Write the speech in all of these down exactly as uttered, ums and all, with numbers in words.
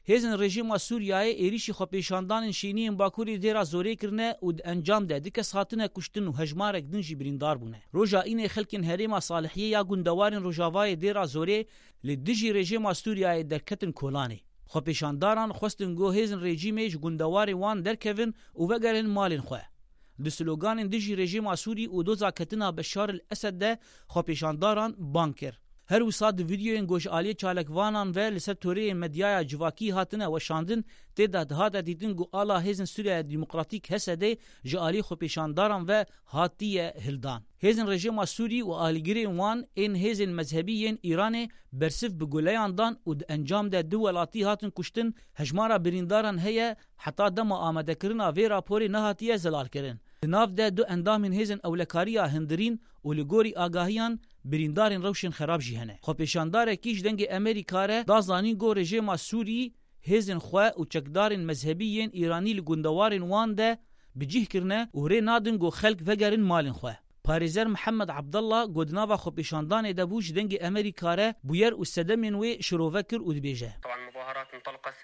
Hêzên rejîma Sûriyeyê êrîşî xwepêşandanên şîniyên Bakurê Dêra Zorê kirine û di encam de du kes hatine kuştin û hejmarek din jî birîndar bûne. Roja Înê xelkên herêma Salihiyê ya gundewarên rojavayê Dêra Zorê li dijî rejîma Sûriyeyê derketin kolanê. Xwepêşandaran xwestin ku hêzên rejîmê ji gundewarên wan derkevin û vegerin malên xwe. Di sloganên dijî rejîma Sûrî û doza ketina Beşar el Esed de xwepêşandaran bang kir. Her wisa di vîdeoyên ku ji aliyê çalakvanan ve li ser toreyên medyaya civakî hatine weşandin, tê de dihate dîtin ku ala hêzên Sûriya Demokratîk, H S D, ji aliyê xwepêşandaran ve hatiye hildan. Hêzên rejîma Sûrî û alîgirên wan ên hêzên mezhebî yên Îranê bersiv bi guleyan dan û di encam de du welatî hatin kuştin, hejmara birîndaran heye, heta dema amadekirina vê raporê nehatiye zelalkirin. Di nav de du endamên hêzên ewlekariya hindirîn û li gorî agahiyan birîndarên rewşên xerab jî hene. Xwepêşandarekî ji Dengê Amerîka re da zanîn ku rejîma Sûrî hêzên xwe û çekdarên mezhebî yên Îranî li gundewarên wan de bi cih kirine û rê nadin ku xelk vegerin malên xwe. Parêzer Mihemed Abdallah ku di nava xwepêşandanê de bû ji Dengê Amerîka re bûyer û sedemên wê şirove kir û dibêje. طبعا المظاهرات انطلقت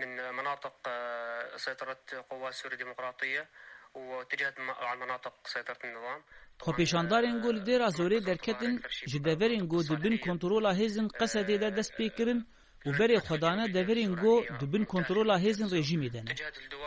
من مناطق، آه، سيطرة قوات سوريا الديمقراطية واتجهت م-، على مناطق سيطرة النظام. Xwepêşandarên ku li Dêra Zorê derketin ji deverên ku di bin kontrola hêzên Qesedê de dest pê kirin û berê xwe dane deverên ku di bin kontrola hêzên rejîmê de ne.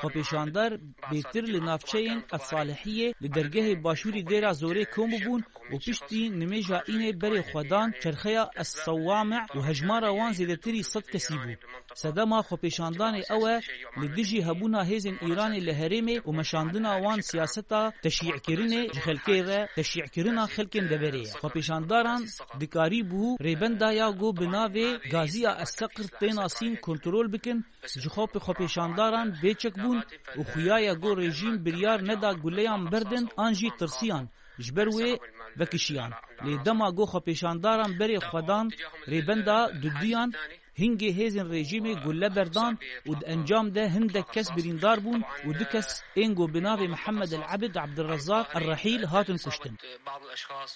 Xwepêşandar bêtir li navçeyên Salihiyê li dergehê başûrî Dêra Zorê kom bûbûn û piştî nimêja Înê berê xwe dan çerxeya Es-Sewwame û hejmara wan zêdetirî sed kesî bû. Sedema xwepêşandanê ew e, li dijî hebûna hêzên Îranê li herêmê û meşandina wan siyaseta teşî'kirinê ji xelkê re, teşî'kirina xelkên deverê ye. Xwepêşandaran dikarîbû rêbenda ya ku bi navê Gaziya Es-Seqr tê nasîn kontrol bikin, ji xwe bi xwepêşandaran bêçek bûn û xuya ye ku rejîm biryar neda guleyan berdin an jî tirsiyan ji ber wê vekişiyan. Lê dema ku xwepêşandaran berê xwe dan rêbenda duduyan, hingê hêzên rejîmê gule berdan û di encam de hindek kes birîndar bûn û du kes ên ku bi navê Mihemed El Ebid, Abdurrezzaq El Rehîl hatin kuştin. بعض الأشخاص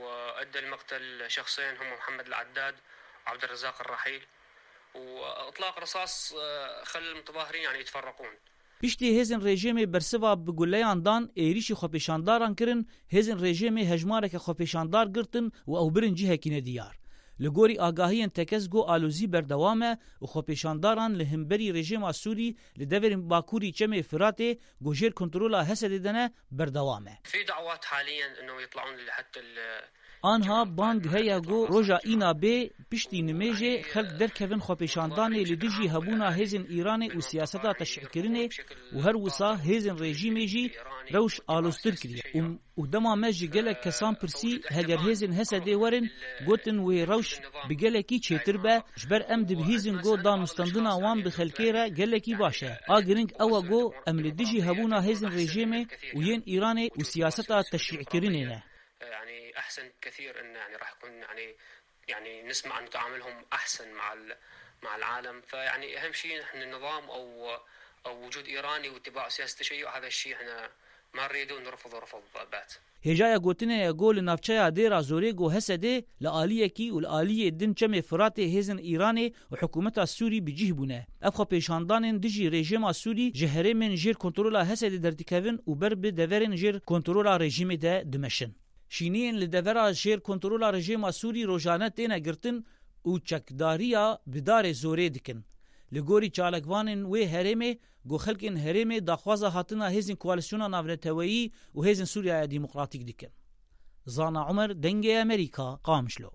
وأدى المقتل شخصين هم محمد العداد وعبد الرزاق الرحيل وإطلاق رصاص، آه، خلى المتظاهرين يعني يتفرقون. Piştî hêzên rejîmê bersiva bi guleyan dan êrîşî xwepêşandaran kirin, hêzên rejîmê hejmareke xwepêşandar girtin û ew birin cihekî nediyar. Li gorî agahiyên tekez ku alozî berdewam e û xwepêşandaran li hemberî rejîma Sûrî li deverên bakurî Çemê Firatê ku jêr kontrola H S D'ê de ne, berdewam e. في دعوات حاليا إنه يطلعون لحتى ال- Anha bang heye ku roja Îna bê piştî nimêjê xelk derkevin xwepêşandanê li dijî hebûna hêzên Îranê û siyaseta teşî'kirinê û her wisa hêzên rejîmê jî rewş aloztir kiriye. Û, û dema me ji gelek kesan pirsî, heger hêzên H S D'ê werin, gotin wê rewş bi gelekî çêtir be, ji ber em dibihîzin ku danûstendina wan bi xelkê re gelekî baş e. A giring ew e ku em li dijî hebûna hêzên rejîmê û yên Îranê û siyaseta teşî'kirinê ne. يعني أحسن كثير إن يعني راح يكون يعني، يعني نسمع عن تعاملهم أحسن مع ال-، مع العالم. فيعني أهم شيء نحن النظام أو، أو وجود إيراني واتباع سياسة التشيع، هذا الشيء إحنا ما نريده ونرفضه رفض بات. Hêjaya gotinê ye ku li navçeya Dêra Zorê ku H S D li aliyekî û li aliyê din Çemê Firatê hêzên Îranê û hikûmeta Sûrî bi cih bûne. Ev xwepêşandanên dijî rejîma Sûrî ji herêmên jêr kontrola H S D'ê derdikevin û ber bi deverên jêr kontrola rejîmê de dimeşin. Şîniyên li devera jêr kontrola rejîma Sûrî rojane têne girtin û çekdariya bi darê zorê dikin. Li gorî çalakvanên wê herêmê, ku xelkên herêmê daxwaza hatina hêzên Koalîsyona Navneteweyî û Hêzên Sûriyaya Demokratîk dikin. Zana Umer, Dengê Amerîka, Qamişlo.